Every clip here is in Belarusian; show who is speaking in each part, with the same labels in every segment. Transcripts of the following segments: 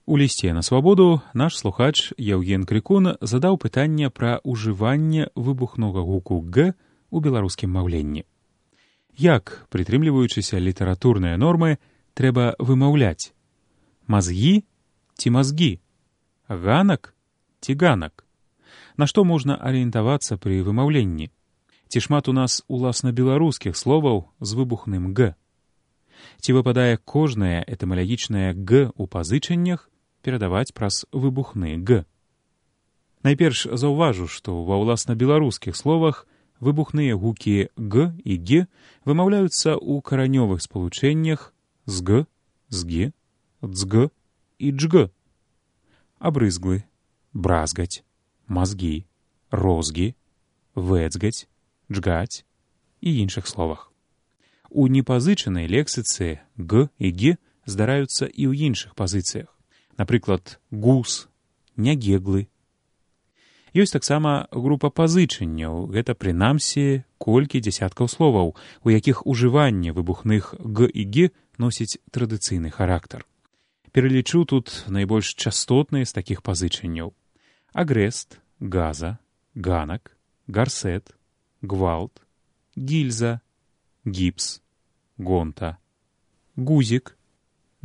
Speaker 1: У лісце на свабоду наш слухач Яўген Крыкун задаў пытанне пра ўжыванне выбухнога гуку «г» у беларускім маўленні. Як, прытрымліваючыся літаратурныя нормы, трэба вымаўляць? Мазгі ці мазгі? Ганак ці ганак? На што можна арыентавацца пры вымаўленні? Ці шмат у нас уласна беларускіх словаў з выбухным «г»? Ці выпадае кожнае этымалагічнае «г» у пазычаннях перадаваць праз выбухны «г»? Найперш заўважу, што ва ўласна беларускіх словах выбухныя гукі «г» і «г» вымаўляюцца ў каранёвых спалучэннях «зг», «зг», «дзг» і «джг». Абрызглы, бразгаць, мазгі, розгі, вэцгаць, джгаць і іншых словах. У непазычанай лексіцы «г» і «г» здараюцца і ў іншых пазіцыях. Напрыклад, гус, нягеглы. Ёсць таксама група пазычанняў, гэта прынамсі колькі дзясяткаў словаў, у якіх ужыванне выбухных «г» і «г» носіць традыцыйны характар. Пералічу тут найбольш частотныя з такіх пазычанняў. Агрэст, газа, ганак, гарсет, гвалт, гільза, гіпс, гонта, гузік,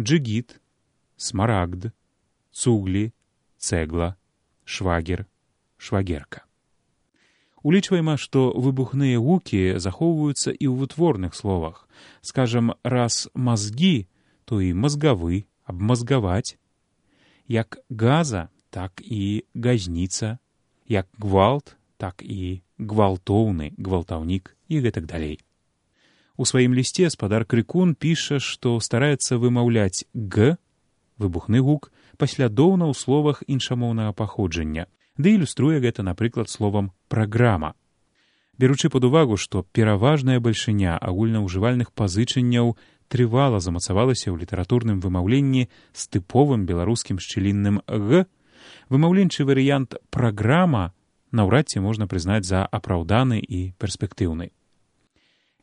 Speaker 1: джигіт, смарагд, цуглі, цэгла, швагер, швагерка. Улічваема, што выбухныя гукі захоўваюцца і ў вытворных словах. Скажам, раз мазгі, то і мазгавы, абмазгаваць. Як газа, так і газніца. Як гвалт, так і гвалтоўны, гвалтаўнік і гэтак далей. У сваім лісце спадар Крыкун піша, што стараецца вымаўляць «г», выбухны гук, паслядоўна ў словах іншамоўнага паходжання, ды ілюструе гэта, напрыклад, словам «праграма». Беручы пад увагу, што пераважная бальшыня агульнаўжывальных пазычанняў трывала замацавалася ў літаратурным вымаўленні з тыповым беларускім шчылінным «г», вымаўленчы варыянт «праграма» наўрад ці можна прызнаць за апраўданы і перспектыўны.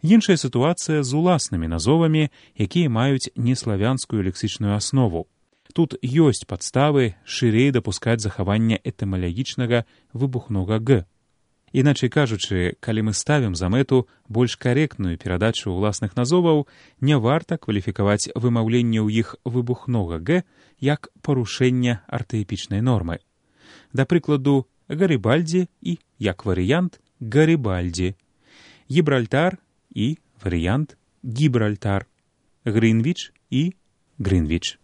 Speaker 1: Іншая сітуацыя з уласнымі назовамі, якія маюць неславянскую лексічную аснову. Тут ёсць падставы шырэй дапускаць захаванне этымалагічнага выбухнога «г». Іначай кажучы, калі мы ставім за мэту больш карэктную перадачу ўласных назоваў, не варта кваліфікаваць вымаўленне ў іх выбухнога «г» як парушэнне артаэпічнай нормы. Да прыкладу, Гарыбальдзі і, як варыянт, Гарыбальдзі, Гібральтар і варыянт Гібральтар, Грынвіч і Грынвіч.